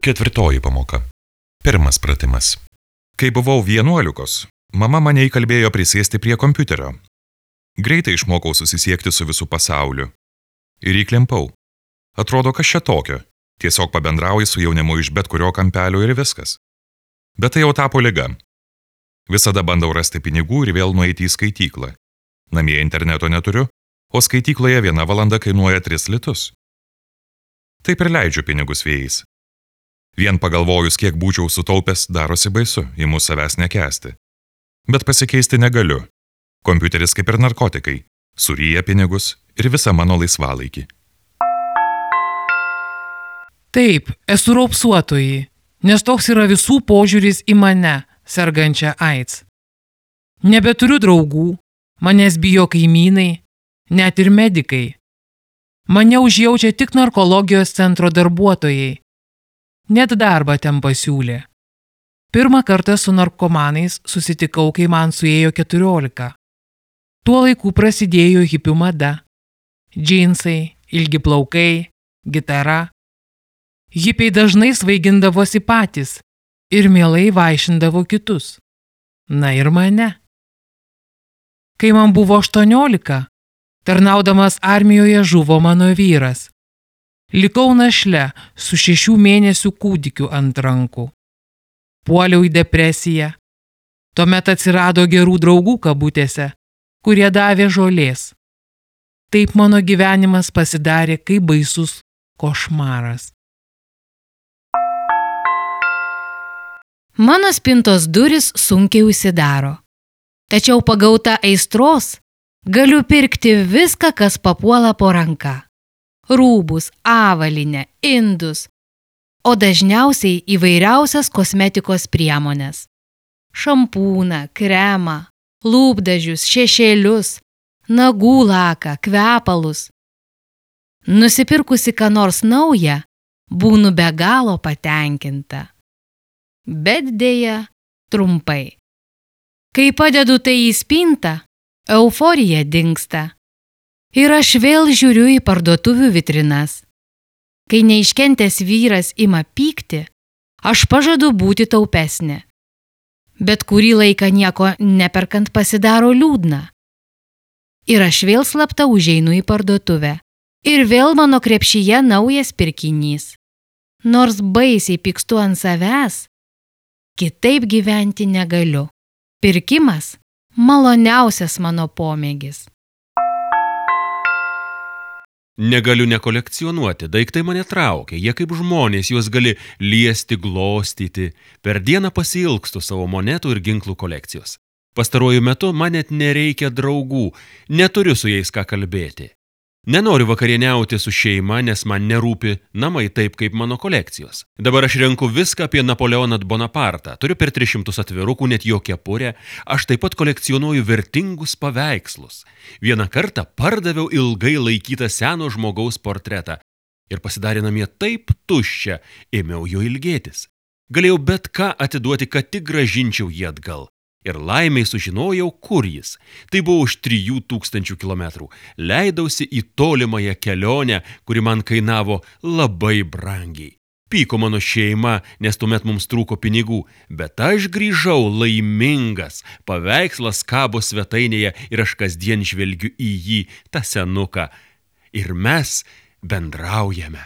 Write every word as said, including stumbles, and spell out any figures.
Ketvirtoji pamoka. Pirmas pratimas. Kai buvau vienuolikos, mama mane įkalbėjo prisėsti prie kompiuterio. Greitai išmokau susisiekti su visų pasauliu. Ir įklimpau. Atrodo, kas čia tokio. Tiesiog pabendrauji su jaunimu iš bet kurio kampelio ir viskas. Bet tai jau tapo liga. Visada bandau rasti pinigų ir vėl nueiti į skaityklą. Namie interneto neturiu, o skaitykloje viena valanda kainuoja tris litus. Taip ir leidžiu pinigus vėjais. Vien pagalvojus, kiek būčiau sutaupęs, darosi baisu, imu savęs nekęsti. Bet pasikeisti negaliu. Kompiuteris kaip ir narkotikai, suryja pinigus ir visą mano laisvalaikį. Taip, esu raupsuotoji, nes toks yra visų požiūris į mane, sergančią AIDS. Nebeturiu draugų, manęs bijo kaimynai, net ir medikai. Mane užjaučia tik narkologijos centro darbuotojai. Net darbą ten pasiūlė. Pirmą kartą su narkomanais susitikau, kai man suėjo keturiolika. Tuo laiku prasidėjo hipių mada. Džinsai, ilgi plaukai, gitara. Hipiai dažnai svaigindavosi patys ir mielai vaišindavo kitus. Na ir mane. Kai man buvo aštuoniolika, tarnaudamas armijoje žuvo mano vyras. Likau našle su šešių mėnesių kūdikiu ant rankų. Puoliau į depresiją. Tuomet atsirado gerų draugų kabutėse, kurie davė žolės. Taip mano gyvenimas pasidarė kaip baisus košmaras. Mano spintos durys sunkiai užsidaro. Tačiau pagauta aistros galiu pirkti viską, kas papuola po ranka. Rūbus, avalinę, indus, o dažniausiai įvairiausias kosmetikos priemonės. Šampūną, kremą, lūpdažius, šešėlius, nagų laką, kvepalus. Nusipirkusi ką nors naują, būnu be galo patenkinta. Bet dėja, trumpai. Kai padedu tai į spintą, euforija dingsta. Ir aš vėl žiūriu į parduotuvių vitrinas. Kai neiškentęs vyras ima pykti, aš pažadu būti taupesnė. Bet kurį laiką nieko neperkant pasidaro liūdna. Ir aš vėl slapta užeinu į parduotuvę. Ir vėl mano krepšyje naujas pirkinys. Nors baisiai pykstu ant savęs, kitaip gyventi negaliu. Pirkimas – maloniausias mano pomėgis. Negaliu nekolekcionuoti, daiktai mane traukia, jie kaip žmonės, juos gali liesti, glostyti. Per dieną pasiilgstu savo monetų ir ginklų kolekcijos. Pastaruoju metu man net nereikia draugų, neturiu su jais ką kalbėti. Nenoriu vakarieniauti su šeima, nes man nerūpi namai taip kaip mano kolekcijos. Dabar aš renku viską apie Napoleoną Bonapartą, turiu per tris šimtus atvirukų, net jo kepurę, aš taip pat kolekcionuoju vertingus paveikslus. Vieną kartą pardaviau ilgai laikytą seno žmogaus portretą ir pasidarė namie taip tuščia, ėmiau jo ilgėtis. Galėjau bet ką atiduoti, kad tik grąžinčiau jį atgal. Ir laimiai sužinojau, kur jis. Tai buvo už trijų tūkstančių kilometrų. Leidausi į tolimąją kelionę, kuri man kainavo labai brangiai. Pyko mano šeima, nes tuomet mums trūko pinigų, bet aš grįžau laimingas. Paveikslas kabo svetainėje ir aš kasdien žvelgiu į jį, tą senuką. Ir mes bendraujame.